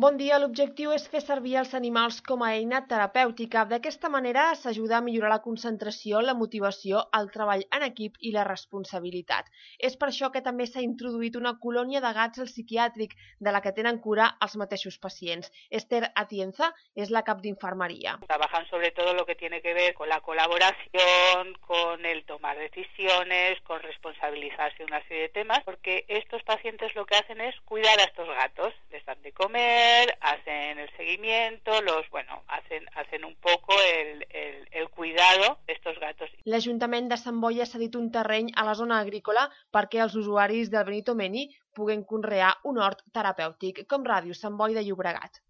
Bon dia, l'objectiu és fer servir els animals com a eina terapèutica. D'aquesta manera s'ajuda a millorar la concentració, la motivació, el treball en equip i la responsabilitat. És per això que també s'ha introduït una colònia de gats al psiquiàtric, de la que tenen cura els mateixos pacients. Esther Atienza és la cap d'infermeria. Trabajan sobre todo lo que tiene que ver con la colaboración, con el tomar decisiones, con responsabilizarse de una serie de temas, porque estos pacientes lo que hacen es cuidar a estos gatos, les dan de comer, hacen el seguimiento, hacen un poco el cuidado de estos gatos. L'Ajuntament de Sant Boi ha cedit un terreny a la zona agrícola perquè els usuaris del Benito Meni puguen conrear un hort terapèutic, com Ràdio Sant Boi de Llobregat.